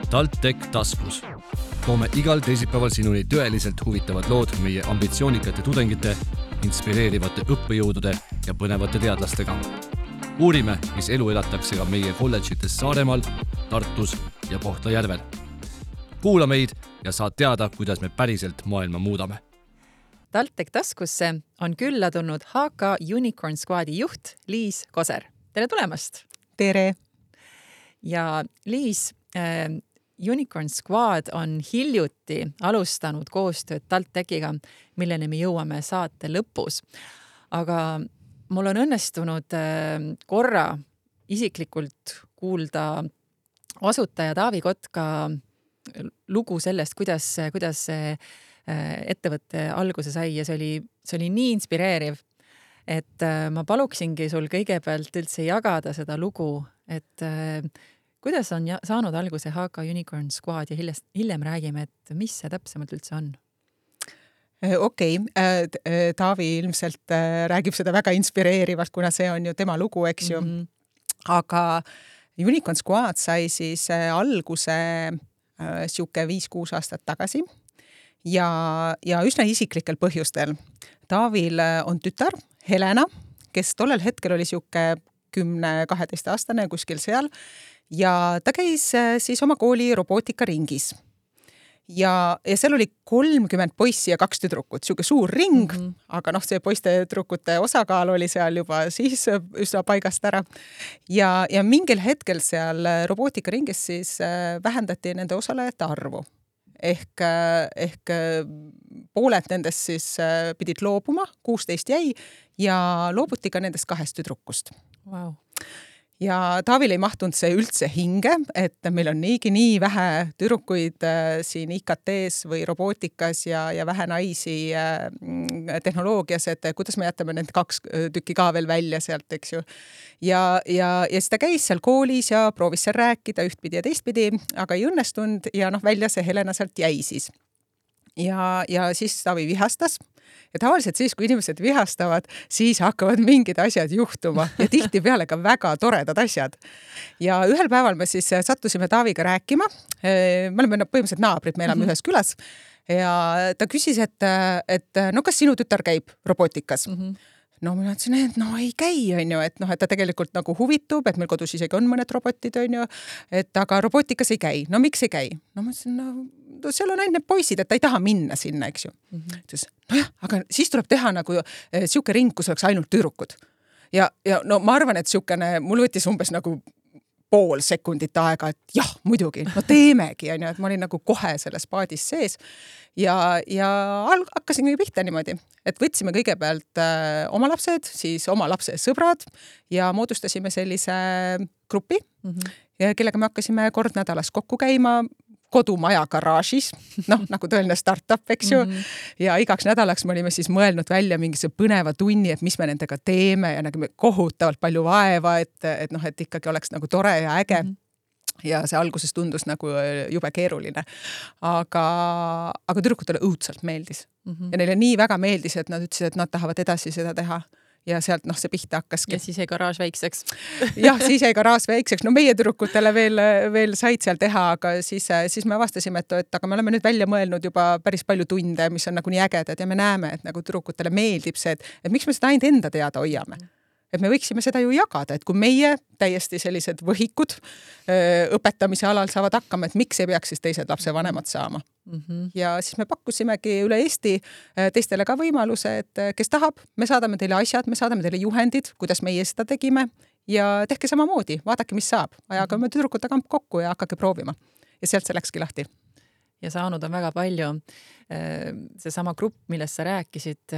TalTech taskus. Toome igal teisipäeval sinuni tõeliselt huvitavad lood meie ambitsioonikate tudengite, inspireerivate õppejõudude ja põnevate teadlastega. Uurime, mis elu elatakse ka meie kolledžites Saaremaal, Tartus ja Kohtla-Järvel. Kuula meid ja saad teada, kuidas me päriselt maailma muudame. TalTech taskusse on külla tulnud HK Unicorn Squadi juht Liis Koser. Tere tulemast! Tere! Ja Liis, Unicorn Squad on hiljuti alustanud koostööd TalTechiga, milleni me jõuame saate lõpus. Aga mul on õnnestunud korra isiklikult kuulda asutaja Taavi Kotka lugu sellest, kuidas see ettevõtte alguse sai ja see oli nii inspireeriv, et ma paluksingi sul kõigepealt üldse jagada seda lugu, et kuidas on saanud alguse HK Unicorn Squad ja hiljem räägime, et mis see täpsemalt üldse on? Okei, Taavi ilmselt räägib seda väga inspireerivalt, kuna see on ju tema lugu, eks ju. Aga Unicorn Squad sai siis alguse siuke 5-6 aastat tagasi ja üsna isiklikel põhjustel. Taavil on tütar, Helena, kes tollel hetkel oli siuke 10-12 aastane kuskil seal ja ta käis siis oma kooli robootikaringis. Ja seal oli 30 poissi ja 2 tüdrukut, siuke suur ring, aga see poiste tüdrukute osakaal oli seal juba siis üsna paigast ära. Ja mingil hetkel seal robootikaringis siis vähendati nende osalejate arvu. Ehk pooled nendest siis pidid loobuma, 16 jäi ja loobuti ka nendest 2 tüdrukust. Wow. Ja Taavil ei mahtunud see üldse hinge, et meil on nii vähe tüdrukuid siin IKT-s või robootikas ja vähe naisi tehnoloogias, et kuidas me jätame need 2 tükki ka veel välja sealt, eks ju. Ja siis ta käis seal koolis ja proovis seal rääkida ühtpidi ja teistpidi, aga ei õnnestunud ja välja see Helena sealt jäi siis. Ja siis Taavi vihastas. Ja tavaliselt siis, kui inimesed vihastavad, siis hakkavad mingid asjad juhtuma ja tihtipeale ka väga toredad asjad. Ja ühel päeval me siis sattusime Taaviga rääkima. Me oleme põhimõtteliselt naabrid, me elame ühes külas. Ja ta küsis, et kas sinu tütar käib robootikas? Ma ütlesin, et ei käi, on ju, et ta tegelikult huvitub, et meil kodus isegi on mõned robotid, on ju, et aga robootikas ei käi. Miks ei käi? Ma ütlesin, seal on ainult need poisid, et ta ei taha minna sinna, eks ju. Ütles, aga siis tuleb teha siuke ring, kus oleks ainult tüdrukud. Ja ma arvan, et siukene, mul võttis umbes pool sekundit aega, et jah, muidugi, teemegi, on ju, et ma olin kohe selles paadis sees ja hakkasin pihta niimoodi, et võtsime kõigepealt oma lapsed, siis oma lapse sõbrad ja moodustasime sellise grupi, kellega me hakkasime kord nädalas kokku käima kodumaja garaažis, nagu tõeline startup, eks ju. Ja igaks nädalaks me olime siis mõelnud välja mingise põneva tunni, et mis me nendega teeme ja nägime kohutavalt palju vaeva, et ikkagi oleks tore ja äge. Ja see alguses tundus jube keeruline. Aga tüdrukutele õudselt meeldis. Ja neile nii väga meeldis, et nad ütlesid, et nad tahavad edasi seda teha. Ja sealt see pihta hakkaski. Ja siis jäi garaaž väikseks. Jah, siis jäi garaaž väikseks. Meie tüdrukutele veel said seal teha, aga siis me avastasime, et aga me oleme nüüd välja mõelnud juba päris palju tunde, mis on nii ägedad ja me näeme, et tüdrukutele meeldib see, et miks me seda ainult enda teada hoiame. Et me võiksime seda ju jagada, et kui meie täiesti sellised võhikud õpetamise alal saavad hakkama, et miks ei peaks siis teised lapsevanemad saama. Ja siis me pakkusimegi üle Eesti teistele ka võimaluse, et kes tahab, me saadame teile asjad, me saadame teile juhendid, kuidas meie seda tegime ja tehke samamoodi, vaadake, mis saab. Aga me tüdrukute kamp kokku ja hakake proovima. Ja sealt see läkski lahti. Ja saanud on väga palju. Seesama grupp, millest sa rääkisid,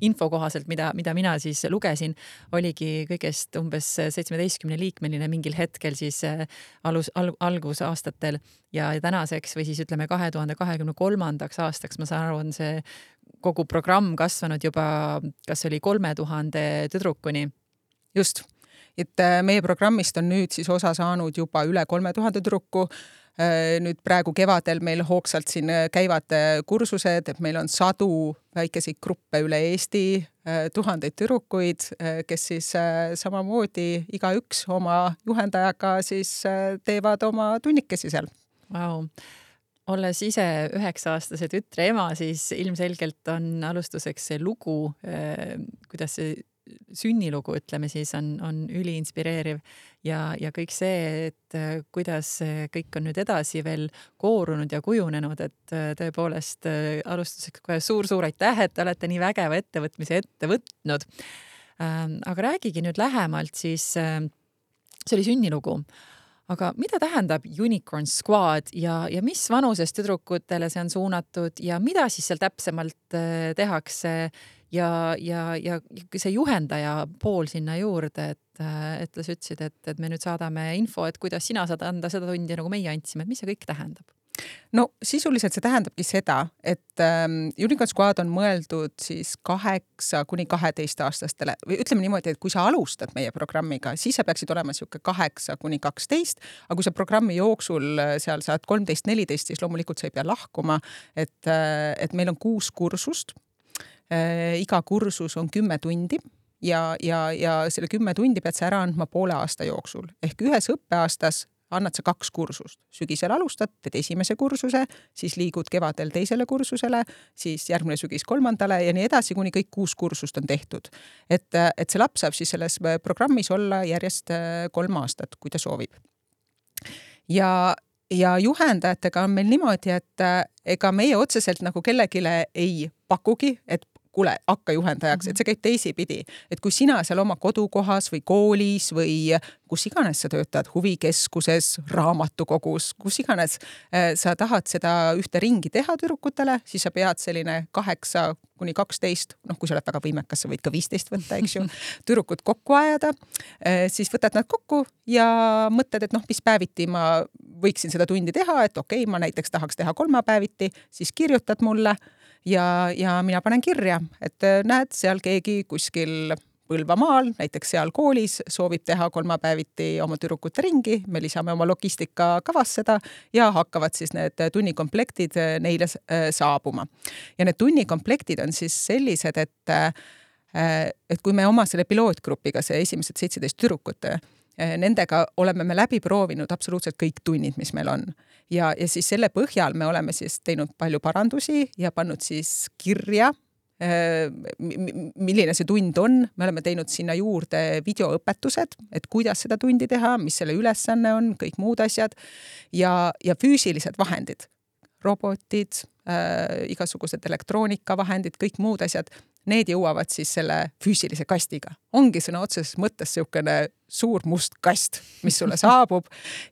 info kohaselt, mida mina siis lugesin, oligi kõigest umbes 17-liikmeline mingil hetkel siis algusaastatel ja tänaseks või siis ütleme 2023. aastaks, ma saan aru, on see kogu programm kasvanud juba, kas oli 3000 tüdrukuni? Just. Et meie programmist on nüüd siis osa saanud juba üle 3000 tüdruku. Nüüd praegu kevadel meil hoogsalt siin käivad kursused, et meil on sadu väikeseid gruppe üle Eesti, tuhandeid tüdrukuid, kes siis samamoodi igaüks oma juhendajaga siis teevad oma tunnikesi seal. Wow. Olles ise 9-aastase tütre ema, siis ilmselgelt on alustuseks see lugu, kuidas see sünnilugu, ütleme siis, on üliinspireeriv ja kõik see, et kuidas kõik on nüüd edasi veel koorunud ja kujunenud, et tõepoolest alustuseks kohe suur aitäh, et olete nii vägeva ettevõtmise ette võtnud. Aga räägigi nüüd lähemalt, siis see oli sünnilugu. Aga mida tähendab Unicorn Squad ja mis vanuses tüdrukutele see on suunatud ja mida siis seal täpsemalt tehakse ja see juhendaja pool sinna juurde, et sa ütlesid, et me nüüd saadame info, et kuidas sina saad anda seda tundi, nagu meie andsime, et mis see kõik tähendab? No sisuliselt see tähendabki seda, et Unicorn Squad on mõeldud siis 8–12-aastastele või ütleme niimoodi, et kui sa alustad meie programmiga, siis sa peaksid olema siuke 8–12, aga kui sa programmi jooksul seal saad 13–14, siis loomulikult sa ei pea lahkuma, et meil on 6 kursust. Iga kursus on 10 tundi ja selle 10 tundi pead sa ära andma poole aasta jooksul. Ehk ühes õppeaastas annad sa 2 kursust. Sügisel alustad, teed esimese kursuse, siis liigud kevadel teisele kursusele, siis järgmine sügis 3. ja nii edasi, kuni kõik 6 kursust on tehtud. Et see laps saab siis selles programmis olla järjest 3 aastat, kui ta soovib. Ja juhendajatega on meil niimoodi, et ega meie otseselt nagu kellegile ei pakugi, et kuule, hakka juhendajaks, et see käib teisipidi. Et kui sina seal oma kodukohas või koolis või kus iganes sa töötad, huvikeskuses, raamatukogus, kus iganes sa tahad seda ühte ringi teha tüdrukutele, siis sa pead selline 8–12, kui sa oled väga võimekas, sa võid ka 15 võtta, eks ju, tüdrukud kokku ajada, siis võtad nad kokku ja mõtled, et mis päeviti ma võiksin seda tundi teha, et okei, ma näiteks tahaks teha 3 päeviti, siis kirjutad mulle ja mina panen kirja, et näed, seal keegi kuskil Põlvamaal, näiteks seal koolis soovib teha 3 päeviti oma tüdrukute ringi, me lisame oma logistika kavas seda ja hakkavad siis need tunnikomplektid neile saabuma. Ja need tunnikomplektid on siis sellised, et kui me oma selle pilootgrupiga, see esimesed 17 tüdrukut, nendega oleme me läbi proovinud absoluutselt kõik tunnid, mis meil on. Ja siis selle põhjal me oleme siis teinud palju parandusi ja pannud siis kirja, milline see tund on. Me oleme teinud sinna juurde videoõpetused, et kuidas seda tundi teha, mis selle ülesanne on, kõik muud asjad ja füüsilised vahendid, robotid, igasugused elektroonikavahendid, kõik muud asjad, need jõuavad siis selle füüsilise kastiga. Ongi sõna otseses mõttes selline suur must kast, mis sulle saabub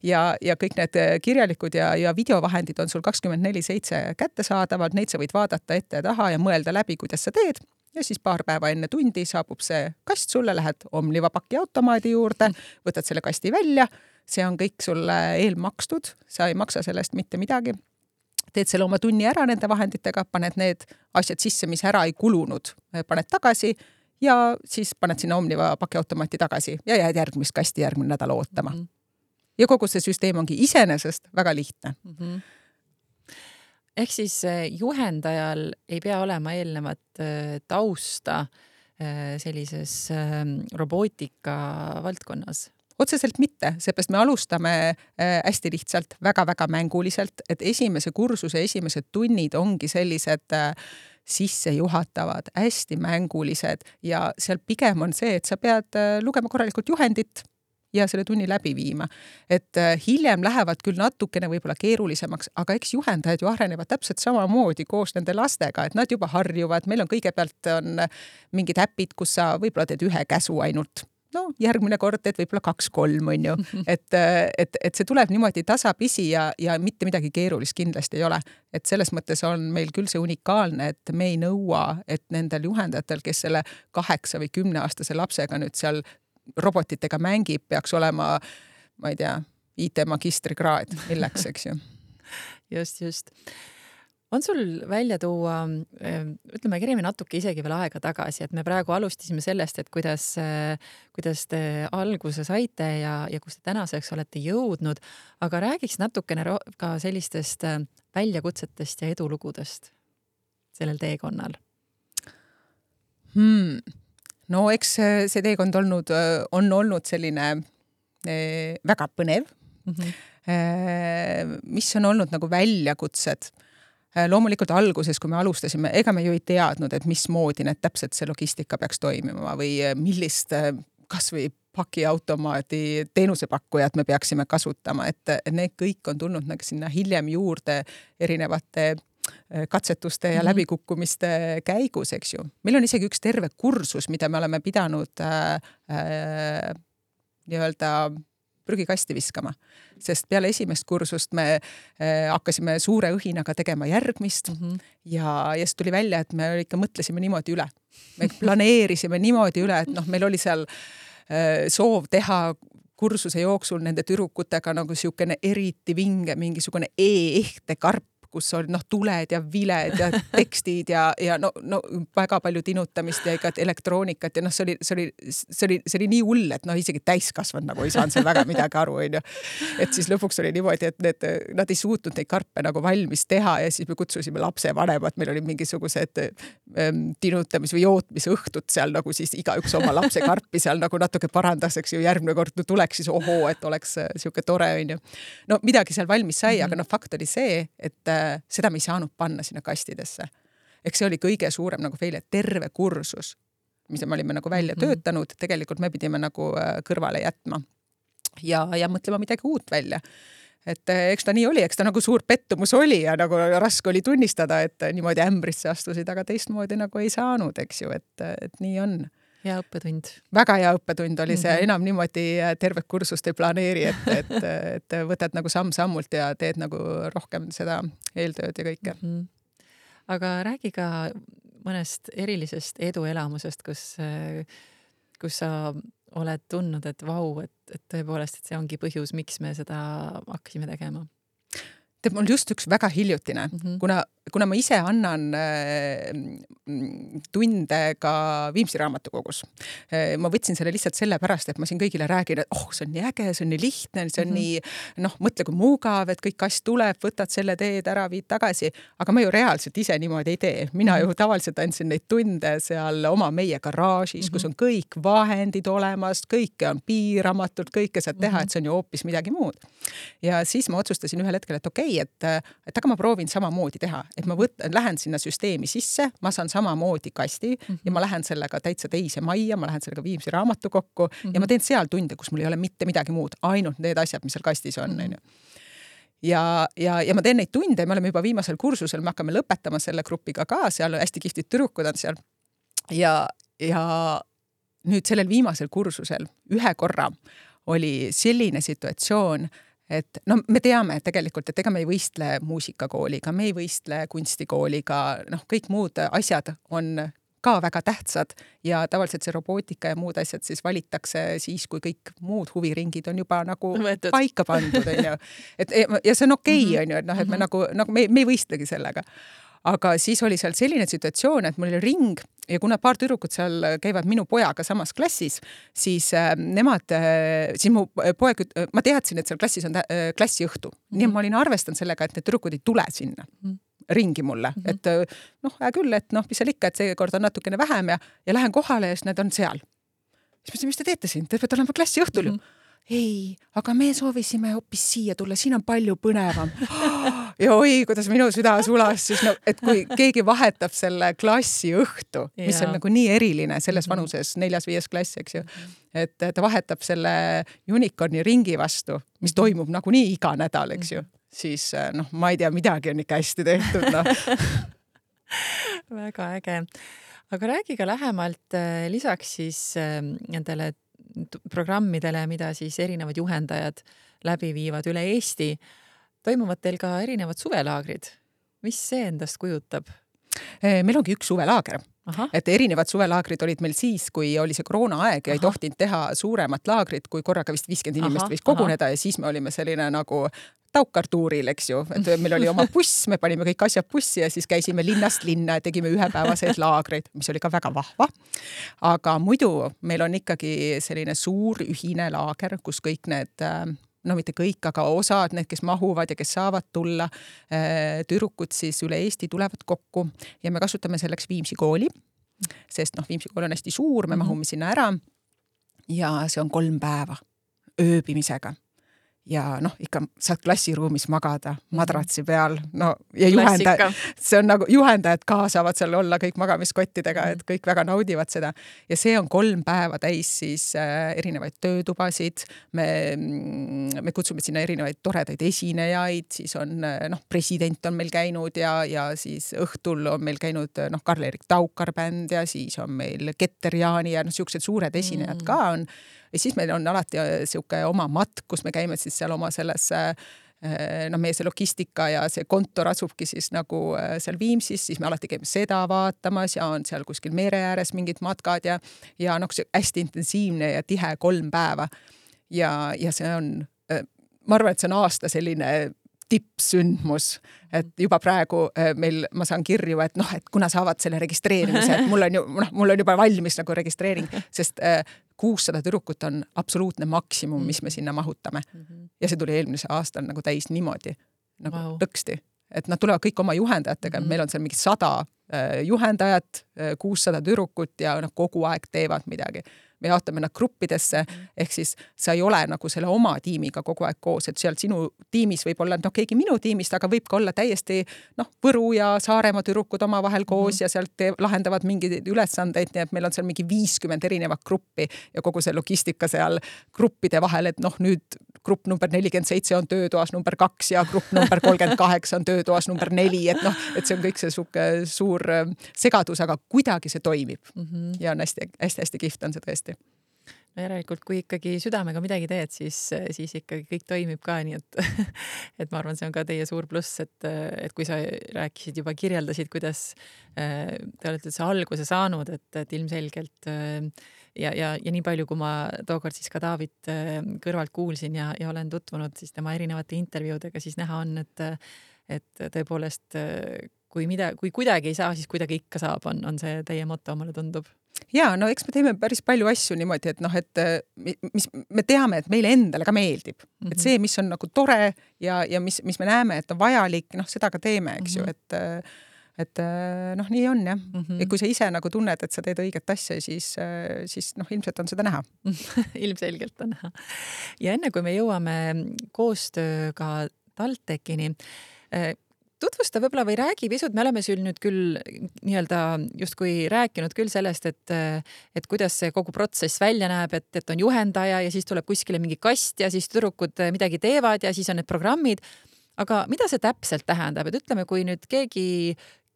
ja kõik need kirjalikud ja videovahendid on sul 24/7 kättesaadavad, neid sa võid vaadata ette ja taha ja mõelda läbi, kuidas sa teed. Ja siis paar päeva enne tundi saabub see kast sulle, lähed Omniva pakiautomaadi juurde, võtad selle kasti välja, see on kõik sulle eelmakstud, sa ei maksa sellest mitte midagi. Teed selle oma tunni ära nende vahenditega, paned need asjad sisse, mis ära ei kulunud, paned tagasi ja siis paned sinna Omniva pakiautomaati tagasi ja jääd järgmist kasti järgmine nädal ootama. Ja kogu see süsteem ongi iseenesest väga lihtne. Ehk siis juhendajal ei pea olema eelnevat tausta sellises robootika valdkonnas? Otseselt mitte, seepärast me alustame hästi lihtsalt, väga-väga mänguliselt, et esimese kursuse esimesed tunnid ongi sellised sissejuhatavad, hästi mängulised ja seal pigem on see, et sa pead lugema korralikult juhendit ja selle tunni läbi viima. Et hiljem lähevad küll natukene võib-olla keerulisemaks, aga eks juhendajad ju arenevad täpselt samamoodi koos nende lastega, et nad juba harjuvad, meil on kõigepealt on mingid äpid, kus sa võib-olla teed 1 käsu ainult. No, järgmine kord teed võib-olla 2-3, on ju. Et see tuleb niimoodi tasapisi ja mitte midagi keerulist kindlasti ei ole. Et selles mõttes on meil küll see unikaalne, et me ei nõua, et nendel juhendajatel, kes selle 8 või 10-aastase lapsega nüüd seal robotitega mängib, peaks olema, ma ei tea, IT magistrikraad, milleks, eks ju. Just. on sul välja tuua, ütleme, kerime natuke isegi veel aega tagasi, et me praegu alustasime sellest, et kuidas te alguse saite ja kus te tänaseks olete jõudnud, aga räägiks natukene ka sellistest väljakutsetest ja edulugudest sellel teekonnal. No eks see teekond on olnud selline väga põnev. Mis on olnud nagu väljakutsed. Loomulikult alguses, kui me alustasime, ega me ju ei teadnud, et mismoodi need täpselt see logistika peaks toimima või millist kas või pakiautomaadi teenusepakkujad me peaksime kasutama, et need kõik on tulnud nagu sinna hiljem juurde erinevate katsetuste ja läbikukkumiste käigus, eks ju. Meil on isegi üks terve kursus, mida me oleme pidanud nii-öelda prügikasti viskama, sest peale esimest kursust me hakkasime suure õhinaga tegema järgmist ja siis tuli välja, et me ikka mõtlesime niimoodi üle. Me planeerisime niimoodi üle, et meil oli seal soov teha kursuse jooksul nende tüdrukutega nagu siukene eriti vinge, mingisugune e-ehte karp, kus oli tuled ja viled ja tekstid ja väga palju tinutamist ja igat elektroonikat ja see oli nii hull, et isegi täiskasvanud nagu ei saanud seal väga midagi aru, onju. Et siis lõpuks oli niimoodi, et nad ei suutnud neid karpe nagu valmis teha ja siis me kutsusime lapsevanemad, meil oli mingisugused tinutamis- või jootmisõhtud seal nagu siis igaüks oma lapse karpi seal nagu natuke parandaseks ju järgmine kord tuleks siis et oleks siuke tore, onju. No midagi seal valmis sai, aga fakt oli see, et seda me ei saanud panna sinna kastidesse. Eks see oli kõige suurem nagu feil, et terve kursus, mis me olime nagu välja töötanud, tegelikult me pidime nagu kõrvale jätma ja mõtlema midagi uut välja. Et eks ta nii oli, eks ta nagu suur pettumus oli ja nagu raske oli tunnistada, et niimoodi ämbrisse astusid, aga teistmoodi nagu ei saanud, eks ju, et nii on. Hea õppetund. Väga hea õppetund oli see, enam niimoodi tervet kursust ei planeeri, et võtad nagu samm-sammult ja teed nagu rohkem seda eeltööd ja kõike. Aga räägi ka mõnest erilisest eduelamusest, kus sa oled tundnud, et vau, et tõepoolest, et see ongi põhjus, miks me seda hakkasime tegema. Mul just üks väga hiljutine, kuna ma ise annan tunde ka Viimsi raamatukogus. Ma võtsin selle lihtsalt sellepärast, et ma siin kõigile räägin, et see on nii äge, see on nii lihtne, see on nii, mõtle kui mugav, et kõik kast tuleb, võtad selle teed ära, viid tagasi, aga ma ju reaalselt ise niimoodi ei tee. Mina ju tavaliselt andsin neid tunde seal meie garaažis, kus on kõik vahendid olemas, kõike on piiramatult, kõike saad teha, et see on ju hoopis midagi muud. Ja siis ma otsustasin ühel hetkel, et okei, et aga ma proovin samamoodi teha, et ma lähen sinna süsteemi sisse, ma saan samamoodi kasti ja ma lähen sellega täitsa teise majja, ma lähen sellega Viimsi raamatukokku ja ma teen seal tunde, kus mul ei ole mitte midagi muud, ainult need asjad, mis seal kastis on. Ja ma teen neid tunde, me oleme juba viimasel kursusel, me hakkame lõpetama selle grupiga ka, seal hästi kihvtid tüdrukud on seal ja nüüd sellel viimasel kursusel ühe korra oli selline situatsioon, et me teame tegelikult, et ega me ei võistle muusikakooliga, me ei võistle kunstikooliga, kõik muud asjad on ka väga tähtsad ja tavaliselt see robootika ja muud asjad siis valitakse siis, kui kõik muud huviringid on juba nagu paika pandud, on ju. Ja see on okei, on ju, et me nagu me ei võistlegi sellega. Aga siis oli seal selline situatsioon, et mul oli ring ja kuna paar tüdrukut seal käivad minu pojaga samas klassis, siis siis mu poeg, ma teadsin, et seal klassis on klassiõhtu. Nii ma olin arvestanud sellega, et need tüdrukud ei tule sinna ringi mulle. Et hea küll, et mis seal ikka, et see kord on natukene vähem ja lähen kohale ja siis need on seal. Siis ma ütlesin, mis te teete siin? Te peate olema klassiõhtul ju. Ei, aga me soovisime hoopis siia tulla, siin on palju põnevam. Ja oi, kuidas minu süda sulas, siis et kui keegi vahetab selle klassi õhtu, mis on nagu nii eriline selles vanuses 4.-5. klass, eks ju, et ta vahetab selle unicorni ringi vastu, mis toimub nagu nii iga nädal, eks ju, siis ma ei tea, midagi on ikka hästi tehtud. Väga äge. Aga räägi ka lähemalt lisaks siis nendele programmidele, mida siis erinevad juhendajad läbi viivad üle Eesti, toimuvad teil ka erinevad suvelaagrid. Mis see endast kujutab? Meil ongi üks suvelaager. Et erinevad suvelaagrid olid meil siis, kui oli see koroonaaeg ja ei tohtinud teha suuremat laagrit, kui korraga vist 50 inimest võis koguneda ja siis me olime selline nagu Taukar-tuuril, eks ju, et meil oli oma buss, me panime kõik asjad bussi ja siis käisime linnast linna ja tegime ühepäevaseid laagreid, mis oli ka väga vahva. Aga muidu meil on ikkagi selline suur ühine laager, kus kõik need no mitte kõik, aga osad, need, kes mahuvad ja kes saavad tulla, tüdrukud siis üle Eesti tulevad kokku ja me kasutame selleks Viimsi kooli, sest Viimsi kool on hästi suur, me mahume sinna ära ja see on 3 päeva ööbimisega. Ja ikka saad klassiruumis magada madratsi peal, ja see on nagu juhendajad ka saavad seal olla kõik magamiskottidega, et kõik väga naudivad seda. Ja see on 3 päeva täis siis erinevaid töötubasid, me kutsume sinna erinevaid toredaid esinejaid, siis on, president on meil käinud ja siis õhtul on meil käinud Karl-Erik Taukar bänd ja siis on meil Keter Jaani ja siuksed suured esinejad ka on. Ja siis meil on alati siuke oma matk, kus me käime siis seal oma selles, meie see logistika ja see kontor asubki siis nagu seal Viimsis, siis me alati käime seda vaatamas ja on seal kuskil mere ääres mingid matkad ja see hästi intensiivne ja tihe 3 päeva. Ja see on, ma arvan, et see on aasta selline tippsündmus, et juba praegu ma saan kirju, et kuna saavad selle registreerimise, et mul on juba valmis nagu registreering, sest 600 tüdrukut on absoluutne maksimum, mis me sinna mahutame. Ja see tuli eelmise aastal nagu täis niimoodi, nagu lõksti. Et nad tulevad kõik oma juhendajatega, meil on seal mingi 100 juhendajat, 600 tüdrukut ja kogu aeg teevad midagi. Me jaotame nad gruppidesse, ehk siis sa ei ole nagu selle oma tiimiga kogu aeg koos, et seal sinu tiimis võib olla keegi minu tiimist, aga võib ka olla täiesti Võru ja Saaremaa tüdrukud oma vahel koos ja sealt lahendavad mingeid ülesandeid, nii et meil on seal mingi 50 erinevat gruppi ja kogu see logistika seal gruppide vahel, et nüüd grupp number 47 on töötoas number 2 ja grupp number 38 on töötoas number 4, et see on kõik see suur segadus, aga kuidagi see toimib ja on hästi kihvt on see tõesti. No järelikult, kui ikkagi südamega midagi teed, siis ikkagi kõik toimib ka, nii et ma arvan, see on ka teie suur pluss, et kui sa rääkisid juba, kirjeldasid, kuidas te olete see alguse saanud, et ilmselgelt ja nii palju, kui ma tookord siis ka David kõrvalt kuulsin ja olen tutvunud siis tema erinevate intervjuudega, siis näha on, et tõepoolest kui kuidagi ei saa, siis kuidagi ikka saab, on see teie moto, mulle tundub. Ja, eks me teeme päris palju asju niimoodi, et me teame, et meile endale ka meeldib. Et see, mis on nagu tore ja mis me näeme, et on vajalik, seda ka teeme, eks ju, et nii on, jah. Ja kui sa ise nagu tunned, et sa teed õiget asja, siis ilmselt on seda näha. Ilmselgelt on näha. Ja enne, kui me jõuame koostööga TalTechini, tutvusta võib-olla või räägi pisut, me oleme sul nüüd küll nii-öelda justkui rääkinud küll sellest, et kuidas see kogu protsess välja näeb, et on juhendaja ja siis tuleb kuskile mingi kast ja siis tüdrukud midagi teevad ja siis on need programmid. Aga mida see täpselt tähendab? Et ütleme, kui nüüd keegi,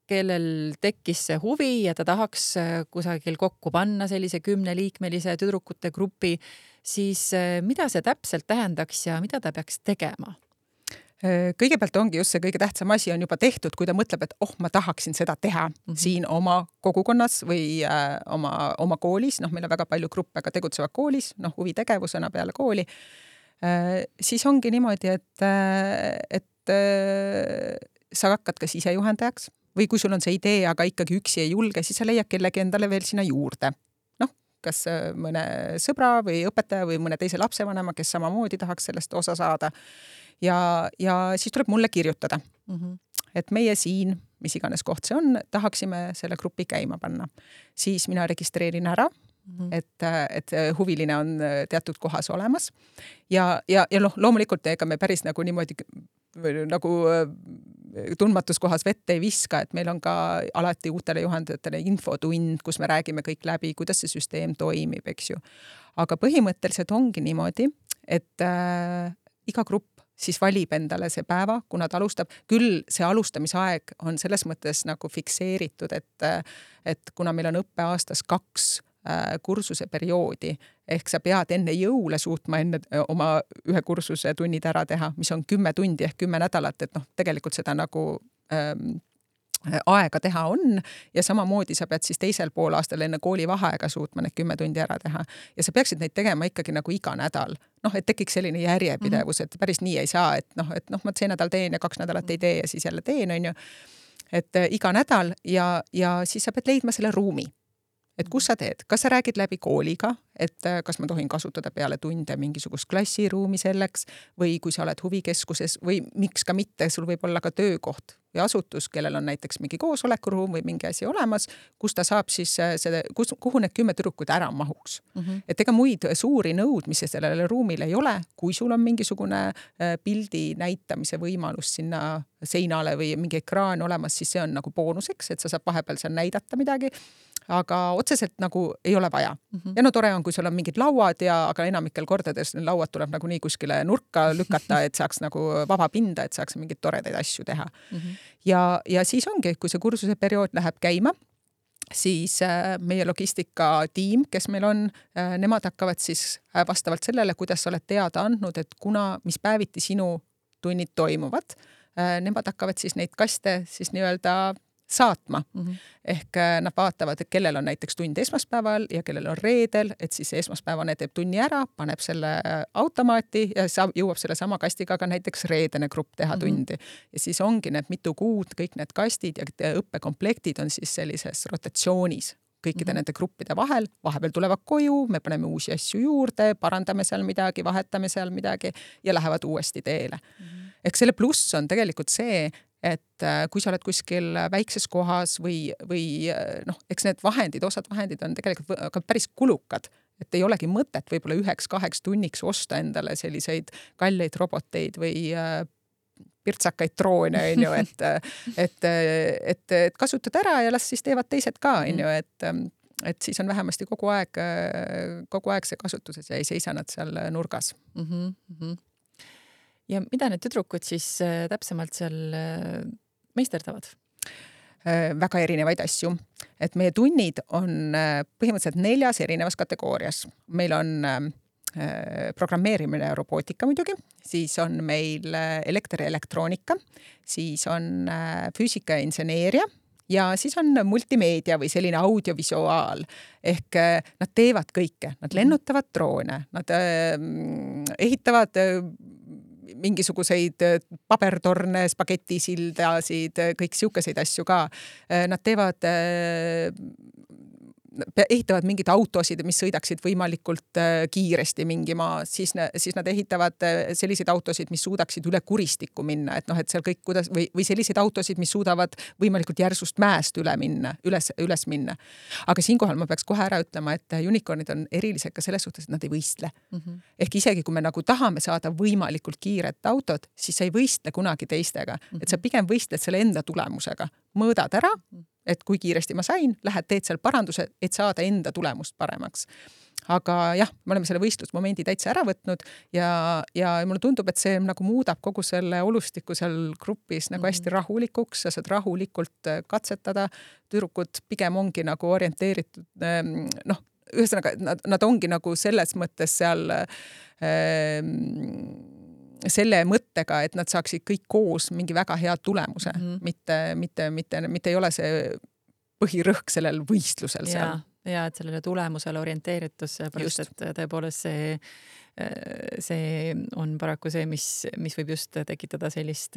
kellel tekkis see huvi ja ta tahaks kusagil kokku panna sellise 10-liikmelise tüdrukute grupi, siis mida see täpselt tähendaks ja mida ta peaks tegema? Kõigepealt ongi just see kõige tähtsam asi on juba tehtud, kui ta mõtleb, et ma tahaksin seda teha siin oma kogukonnas või oma koolis, meil on väga palju gruppe ka tegutsevad koolis, huvitegevusena peale kooli, siis ongi niimoodi, et sa hakkad kas ise juhendajaks või kui sul on see idee, aga ikkagi üksi ei julge, siis sa leiad kellegi endale veel sinna juurde. Kas mõne sõbra või õpetaja või mõne teise lapsevanema, kes samamoodi tahaks sellest osa saada. Ja siis tuleb mulle kirjutada. Et meie siin, mis iganes koht see on, tahaksime selle grupi käima panna. Siis mina registreerin ära, et huviline on teatud kohas olemas. Ja loomulikult ega me päris nagu niimoodi nagu tundmatus kohas vette ei viska, et meil on ka alati uutele juhendajatele infotund, kus me räägime kõik läbi, kuidas see süsteem toimib, eks ju. Aga põhimõtteliselt ongi niimoodi, et iga grupp siis valib endale see päeva, kuna ta alustab. Küll see alustamisaeg on selles mõttes nagu fikseeritud, et kuna meil on õppeaastas 2 kursuse perioodi, ehk sa pead enne jõule suutma enne oma ühe kursuse tunnid ära teha, mis on 10 tundi ehk 10 nädalat, et tegelikult seda nagu aega teha on ja samamoodi sa pead siis teisel poolaastal enne koolivaheaega suutma need 10 tundi ära teha. Ja sa peaksid neid tegema ikkagi nagu iga nädal. Et tekiks selline järjepidevus, et päris nii ei saa, et ma see nädal teen ja 2 nädalat ei tee ja siis jälle teen, on ju. Et iga nädal ja siis sa pead leidma selle ruumi. Et kus sa teed? Kas sa räägid läbi kooliga, et kas ma tohin kasutada peale tunde mingisugust klassiruumi selleks või kui sa oled huvikeskuses või miks ka mitte, sul võib olla ka töökoht või asutus, kellel on näiteks mingi koosolekuruum või mingi asi olemas, kus ta saab siis kuhu need 10 tüdrukut ära mahuks. Et ega muid suuri nõudmisi sellele ruumile ei ole, kui sul on mingisugune pildi näitamise võimalus sinna seinale või mingi ekraan olemas, siis see on nagu boonuseks, et sa saab vahepeal seal näidata midagi, aga otseselt nagu ei ole vaja. Ja tore on, kui sul on mingid lauad aga enamikel kordades lauad tuleb nagu nii kuskile nurka lükata, et saaks nagu vaba pinda, et saaks mingeid toredaid asju teha. Ja siis ongi, kui see kursuse periood läheb käima, siis meie logistikatiim, kes meil on, nemad hakkavad siis vastavalt sellele, kuidas sa oled teada andnud, et mis päeviti sinu tunnid toimuvad, nemad hakkavad siis neid kaste siis nii-öelda saatma. Ehk nad vaatavad, et kellel on näiteks tund esmaspäeval ja kellel on reedel, et siis esmaspäevane teeb tunni ära, paneb selle automaati ja jõuab selle sama kastiga ka näiteks reedene grupp teha tundi. Ja siis ongi need mitu kuud, kõik need kastid ja õppekomplektid on siis sellises rotatsioonis kõikide nende gruppide vahel. Vahepeal tulevad koju, me paneme uusi asju juurde, parandame seal midagi, vahetame seal midagi ja lähevad uuesti teele. Ehk selle pluss on tegelikult see, et kui sa oled kuskil väikses kohas või eks need osad vahendid on tegelikult päris kulukad, et ei olegi mõtet võib-olla 1-2 tunniks osta endale selliseid kalleid roboteid või pirtsakaid droone, on ju, et kasutad ära ja las siis teevad teised ka, on ju, et siis on vähemasti kogu aeg see kasutuses ja ei seisa nad seal nurgas. Ja mida need tüdrukud siis täpsemalt seal meisterdavad? Väga erinevaid asju. Et meie tunnid on põhimõtteliselt 4 erinevas kategoorias. Meil on programmeerimine ja robootika muidugi, siis on meil elekter ja elektroonika, siis on füüsika ja inseneeria ja siis on multimeedia või selline audiovisuaal. Ehk nad teevad kõike. Nad lennutavad droone, nad ehitavad mingisuguseid pabertorne, spagettisildasid, kõik siukeseid asju ka. Nad ehitavad mingeid autosid, mis sõidaksid võimalikult kiiresti mingi maa, siis nad ehitavad selliseid autosid, mis suudaksid üle kuristikku minna, et seal kõik või selliseid autosid, mis suudavad võimalikult järsust mäest üles minna. Aga siinkohal ma peaks kohe ära ütlema, et unicornid on erilised ka selles suhtes, et nad ei võistle. Ehk isegi kui me nagu tahame saada võimalikult kiiret autot, siis sa ei võistle kunagi teistega, et sa pigem võistled selle enda tulemusega. Mõõdad ära, et kui kiiresti ma sain, lähed teed seal paranduse, et saada enda tulemust paremaks. Aga jah, me oleme selle võistlusmomendi täitsa ära võtnud ja mulle tundub, et see nagu muudab kogu selle olustiku seal grupis nagu hästi rahulikuks, sa saad rahulikult katsetada. Tüdrukud pigem ongi nagu orienteeritud, ühesõnaga, nad ongi nagu selles mõttes seal selle mõttega, et nad saaksid kõik koos mingi väga hea tulemuse, mitte ei ole see põhirõhk sellel võistlusel seal. Ja et sellele tulemusele orienteeritus, pärast, et tõepoolest see on paraku see, mis võib just tekitada sellist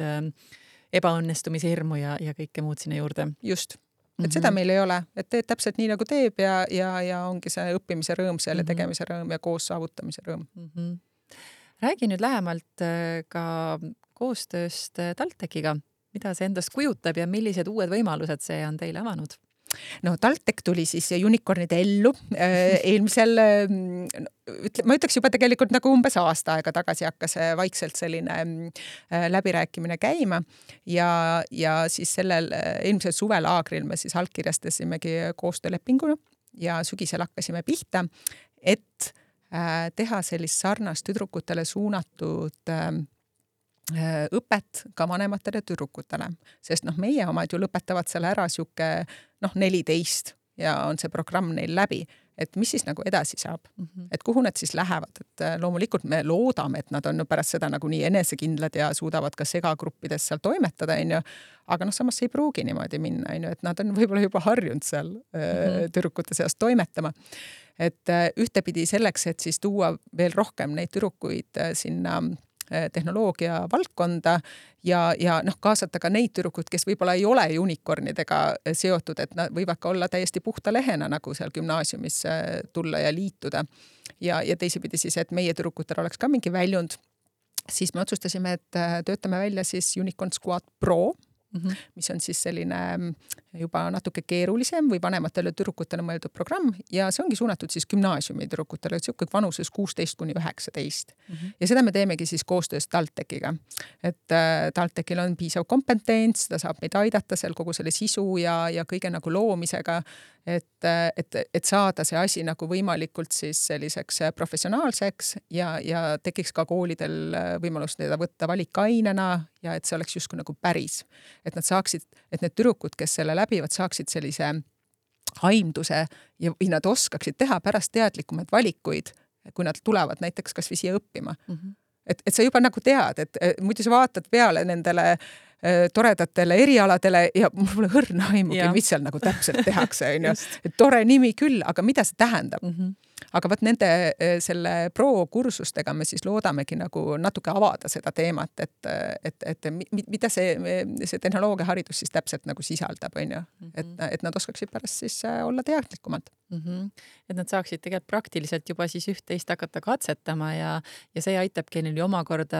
ebaõnnestumise hirmu ja kõike muud sinna juurde. Just. Et seda meil ei ole, et teed täpselt nii nagu teeb ja ongi see õppimise rõõm, selle tegemise rõõm ja koos saavutamise rõõm. Räägi nüüd lähemalt ka koostööst TalTechiga. Mida see endast kujutab ja millised uued võimalused see on teile avanud? TalTech tuli siis unicornide ellu eelmisel, ma ütleks juba tegelikult nagu umbes aasta aega tagasi hakkas vaikselt selline läbirääkimine käima ja siis sellel eelmisel suvelaagril me siis allkirjastasimegi koostöölepingu ja sügisel hakkasime pihta, et teha sellist sarnast tüdrukutele suunatud õpet ka vanematele tüdrukutele, sest meie omad ju lõpetavad seal ära siuke 14 ja on see programm neil läbi. et mis siis nagu edasi saab, et kuhu nad siis lähevad, et loomulikult me loodame, et nad on pärast seda nagu nii enesekindlad ja suudavad ka segagruppides seal toimetada, aga samas ei pruugi niimoodi minna, et nad on võib-olla juba harjunud seal tüdrukute seas toimetama. Et ühtepidi selleks, et siis tuua veel rohkem neid tüdrukuid sinna tehnoloogia valdkonda ja kaasata ka neid tüdrukud, kes võib-olla ei ole unicornidega seotud, et nad võivad ka olla täiesti puhta lehena nagu seal gümnaasiumis tulla ja liituda. Ja teisipidi siis, et meie tüdrukutel oleks ka mingi väljund, siis me otsustasime, et töötame välja siis Unicorn Squad Pro, mis on siis selline juba natuke keerulisem või vanematele tüdrukutele mõeldud programm ja see ongi suunatud siis gümnaasiumi tüdrukutele, siuke vanuses 16–19. Ja seda me teemegi siis koostöös TalTechiga. Et TalTechil on piisav kompetents, ta saab meid aidata seal kogu selle sisu ja kõige nagu loomisega, et saada see asi nagu võimalikult siis selliseks professionaalseks ja tekiks ka koolidel võimalus teda võtta valikainena ja et see oleks justkui nagu päris. Et nad saaksid, et need tüdrukud, kes selle läbivad, saaksid sellise aimduse ja nad oskaksid teha pärast teadlikumaid valikuid, kui nad tulevad näiteks kas või siia õppima. Et sa juba nagu tead, et muidu sa vaatad peale nendele toredatele erialadele ja mul pole hõrna aimugi, mis seal nagu täpselt tehakse. Et tore nimi küll, aga mida see tähendab? Aga võt nende selle pro-kursustega me siis loodamegi nagu natuke avada seda teemat, et mida see tehnoloogiaharidus siis täpselt nagu sisaldab, et nad oskaksid pärast siis olla teadlikumad. Et nad saaksid tegelikult praktiliselt juba siis üht-teist hakata katsetama ja see aitabki neil omakorda,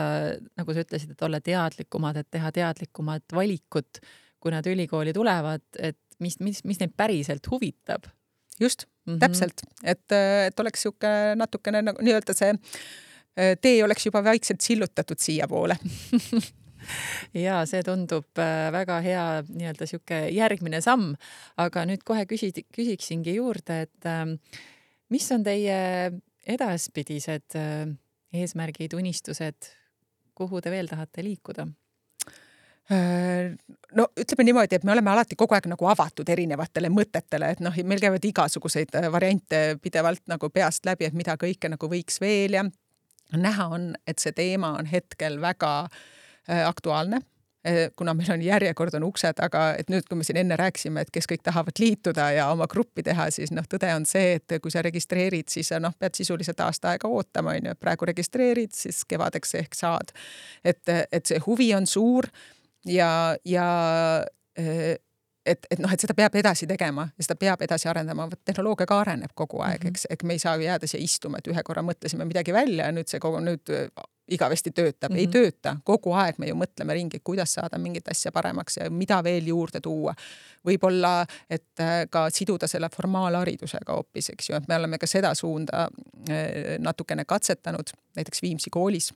nagu sa ütlesid, et olla teadlikumad, et teha teadlikumat valikut, kui nad ülikooli tulevad, et mis neid päriselt huvitab. Just, täpselt, et oleks siuke natukene nii-öelda see tee oleks juba vaikselt sillutatud siia poole. Ja see tundub väga hea nii-öelda siuke järgmine samm, aga nüüd kohe küsiksingi juurde, et mis on teie edaspidised eesmärgid, unistused, kuhu te veel tahate liikuda? No ütleme niimoodi, et me oleme alati kogu aeg nagu avatud erinevatele mõtetele, et meil käivad igasuguseid variante pidevalt nagu peast läbi, et mida kõike nagu võiks veel ja näha on, et see teema on hetkel väga aktuaalne, kuna meil on järjekord on uksed, aga et nüüd, kui me siin enne rääkisime, et kes kõik tahavad liituda ja oma gruppi teha, siis tõde on see, et kui sa registreerid, siis pead sisuliselt aasta aega ootama, praegu registreerid, siis kevadeks ehk saad. Et see huvi on suur ja et seda peab edasi tegema ja seda peab edasi arendama. Tehnoloogia ka areneb kogu aeg, eks me ei saa jääda siia istuma, et ühe korra mõtlesime midagi välja ja nüüd see nüüd igavesti töötab. Ei tööta. Kogu aeg me ju mõtleme ringi, kuidas saada mingit asja paremaks ja mida veel juurde tuua. Võib-olla, et ka siduda selle formaalharidusega hoopis, eks ju, et me oleme ka seda suunda natukene katsetanud, näiteks Viimsi koolis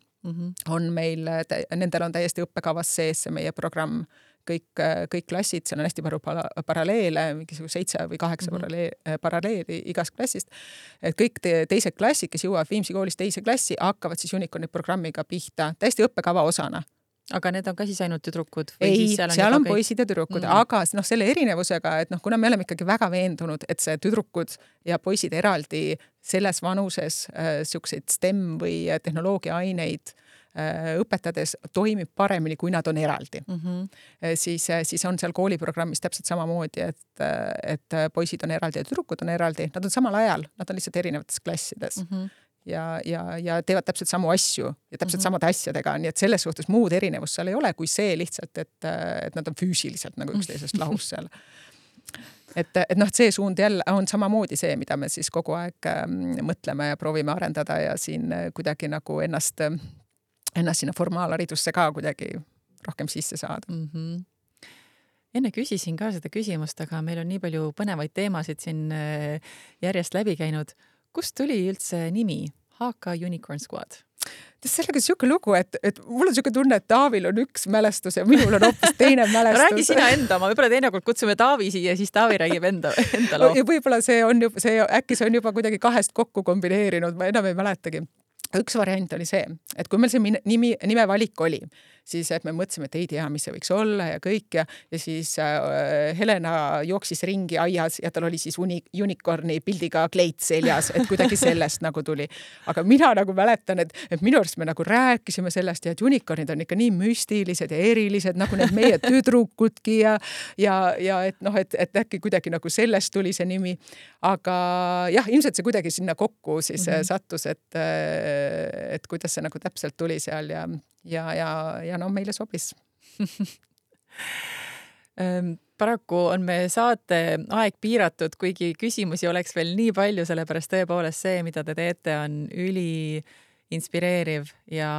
on meil, nendel on täiesti õppekavas sees see meie programm, kõik klassid, seal on hästi palju paralleele, mingisugune 7 või 8 paralleeli igast klassist. Et kõik teised klassid, kes jõuavad Viimsi koolis teise klassi, hakkavad siis Unicorni programmiga pihta, täiesti õppekava osana. Aga need on ka siis ainult tüdrukud? Ei, seal on poisid ja tüdrukud, aga selle erinevusega, et kuna me oleme ikkagi väga veendunud, et see tüdrukud ja poisid eraldi selles vanuses siukseid STEM või tehnoloogiaaineid õpetades toimib paremini, kui nad on eraldi. Siis on seal kooliprogrammis täpselt samamoodi, et poisid on eraldi ja tüdrukud on eraldi. Nad on samal ajal, nad on lihtsalt erinevates klassides. Ja teevad täpselt samu asju ja täpselt samade asjadega, nii et selles suhtes muud erinevust seal ei ole, kui see lihtsalt, et nad on füüsiliselt nagu üksteisest lahus seal. Et see suund jälle on samamoodi see, mida me siis kogu aeg mõtleme ja proovime arendada ja siin kuidagi nagu ennast sinna formaalharidusse ka kuidagi rohkem sisse saada. Enne küsisin ka seda küsimust, aga meil on nii palju põnevaid teemasid siin järjest läbi käinud. Kust tuli üldse nimi HK Unicorn Squad? Sellega siuke lugu, et mul on siuke tunne, et Taavil on üks mälestus ja minul on hoopis teine mälestus. Räägi sina enda, ma võib-olla teinekord kutsume Taavi siia, siis Taavi räägib enda loo. Ja võib-olla äkki see on juba kuidagi kahest kokku kombineerinud, ma enam ei mäletagi. Üks variant oli see, et kui meil see nime valik oli, siis et me mõtlesime, et ei tea, mis see võiks olla ja kõik ja siis Helena jooksis ringi aias ja tal oli siis unicorni pildiga kleit seljas, et kuidagi sellest nagu tuli. Aga mina nagu mäletan, et minu arust me nagu rääkisime sellest ja et unicornid on ikka nii müstilised ja erilised, nagu need meie tüdrukudki ja et noh, et äkki kuidagi nagu sellest tuli see nimi. Aga jah, ilmselt see kuidagi sinna kokku siis sattus, et kuidas see nagu täpselt tuli seal ja no meile sobis. Paraku on me saate aeg piiratud, kuigi küsimusi oleks veel nii palju, sellepärast tõepoolest see, mida te teete, on üli inspireeriv ja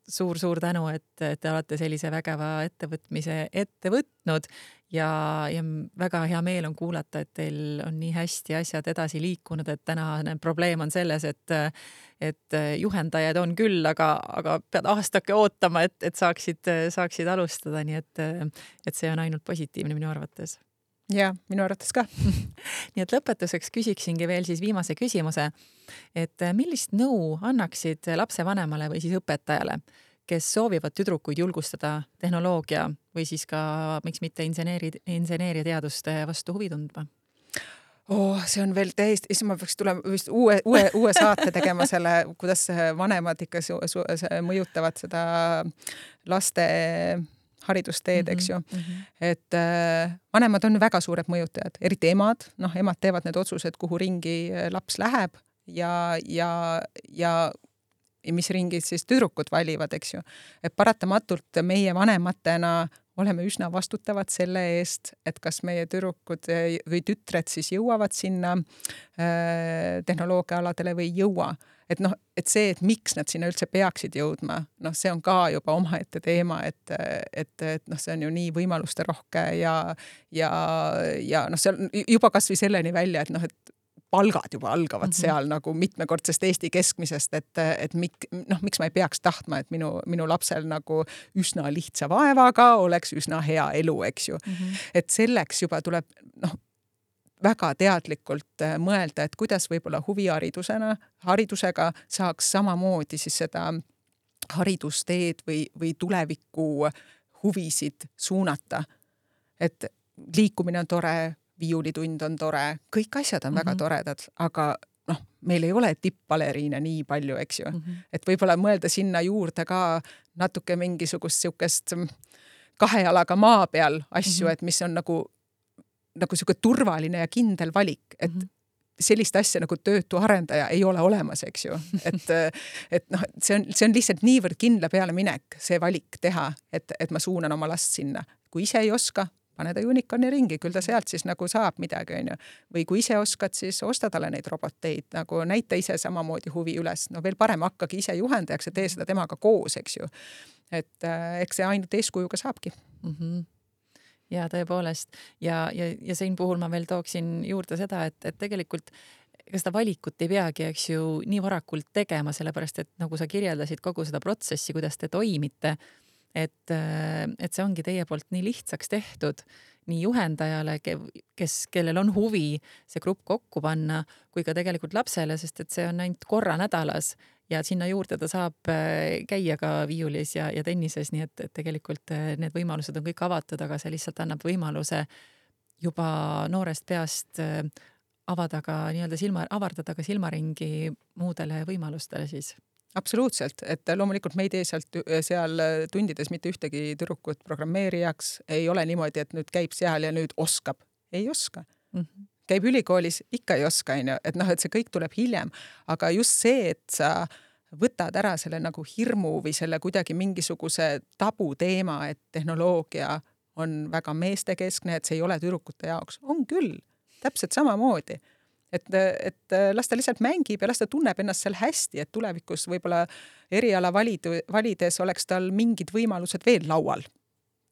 suur tänu, et te olete sellise vägeva ettevõtmise ette võtnud ja väga hea meel on kuulata, et teil on nii hästi asjad edasi liikunud, et tänane probleem on selles, et juhendajad on küll, aga pead aastake ootama, et saaksid alustada, nii et see on ainult positiivne minu arvates. Ja, minu arvates ka. Nii et lõpetuseks küsiksingi veel siis viimase küsimuse, et millist nõu annaksid lapsevanemale või siis õpetajale, kes soovivad tüdrukuid julgustada tehnoloogia või siis ka, miks mitte inseneeriateaduste vastu huvi tundma? See on veel täiesti, siis ma peaks tulema vist uue saate tegema selle, kuidas vanemad ikka mõjutavad seda laste haridusteed, eks ju. Et vanemad on väga suured mõjutajad, eriti emad. Noh, emad teevad need otsused, kuhu ringi laps läheb ja mis ringid siis tüdrukud valivad, eks ju. Et paratamatult meie vanematena oleme üsna vastutavad selle eest, et kas meie tüdrukud või tütred siis jõuavad sinna tehnoloogiaaladele või jõua. Et noh, et see, et miks nad sinna üldse peaksid jõudma, noh, see on ka juba omaette teema, et noh, see on ju nii võimaluste rohke ja noh, see on juba kas või selleni välja, et noh, et palgad juba algavad seal nagu mitmekordsest Eesti keskmisest, et miks ma ei peaks tahtma, et minu lapsel nagu üsna lihtsa vaevaga oleks üsna hea elu, eks ju. Et selleks juba tuleb väga teadlikult mõelda, et kuidas võib-olla haridusega saaks samamoodi siis seda haridusteed või tuleviku huvisid suunata. Et liikumine on tore, viiulitund on tore, kõik asjad on väga toredad, aga meil ei ole tippbaleriine nii palju, eks ju. Et võib-olla mõelda sinna juurde ka natuke mingisugust siukest kahe jalaga maa peal asju, et mis on nagu siuke turvaline ja kindel valik, et sellist asja nagu töötu arendaja ei ole olemas, eks ju. Et noh, see on lihtsalt niivõrd kindla peale minek, see valik teha, et ma suunan oma last sinna. Kui ise ei oska, pane ta unicorni ringi, küll ta sealt siis nagu saab midagi, on ju. Või kui ise oskad, siis osta talle neid roboteid, nagu näita ise samamoodi huvi üles. No veel parem hakkagi ise juhendajaks ja tee seda temaga koos, eks ju. Et eks see ainult eeskujuga saabki. Ja tõepoolest. Ja siin puhul ma veel tooksin juurde seda, et tegelikult ega seda valikut ei peagi, eks ju, nii varakult tegema, sellepärast, et nagu sa kirjeldasid kogu seda protsessi, kuidas te toimite, et see ongi teie poolt nii lihtsaks tehtud nii juhendajale, kellel on huvi see grupp kokku panna, kui ka tegelikult lapsele, sest et see on ainult korra nädalas ja sinna juurde ta saab käia ka viiulis ja tennises, nii et tegelikult need võimalused on kõik avatud, aga see lihtsalt annab võimaluse juba noorest peast avardada ka silmaringi muudele võimalustele siis. Absoluutselt, et loomulikult me ei tee seal tundides mitte ühtegi tüdrukut programmeerijaks, ei ole niimoodi, et nüüd käib seal ja nüüd oskab. Ei oska. Käib ülikoolis, ikka ei oska, et noh, et see kõik tuleb hiljem, aga just see, et sa võtad ära selle nagu hirmu või selle kuidagi mingisuguse tabu teema, et tehnoloogia on väga meestekeskne, et see ei ole tüdrukute jaoks. On küll, täpselt samamoodi. Et las ta lihtsalt mängib ja las ta tunneb ennast seal hästi, et tulevikus võib-olla eriala valides oleks tal mingid võimalused veel laual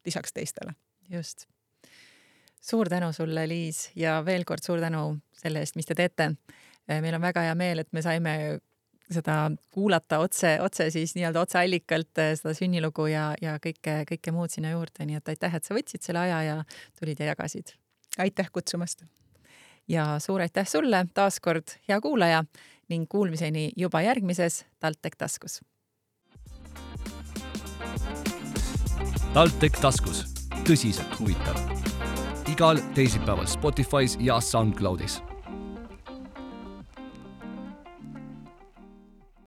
lisaks teistele. Just. Suur tänu sulle, Liis, ja veel kord suur tänu selle eest, mis te teete. Meil on väga hea meel, et me saime seda kuulata otse siis nii-öelda otseallikalt seda sünnilugu ja kõike muud sinna juurde, nii et aitäh, et sa võtsid selle aja ja tulid ja jagasid. Aitäh kutsumast! Ja suur aitäh sulle, taaskord hea kuulaja ning kuulmiseni juba järgmises TalTech taskus. TalTech taskus, tõsiselt huvitav. Igal teisipäeval Spotify's ja SoundCloudis.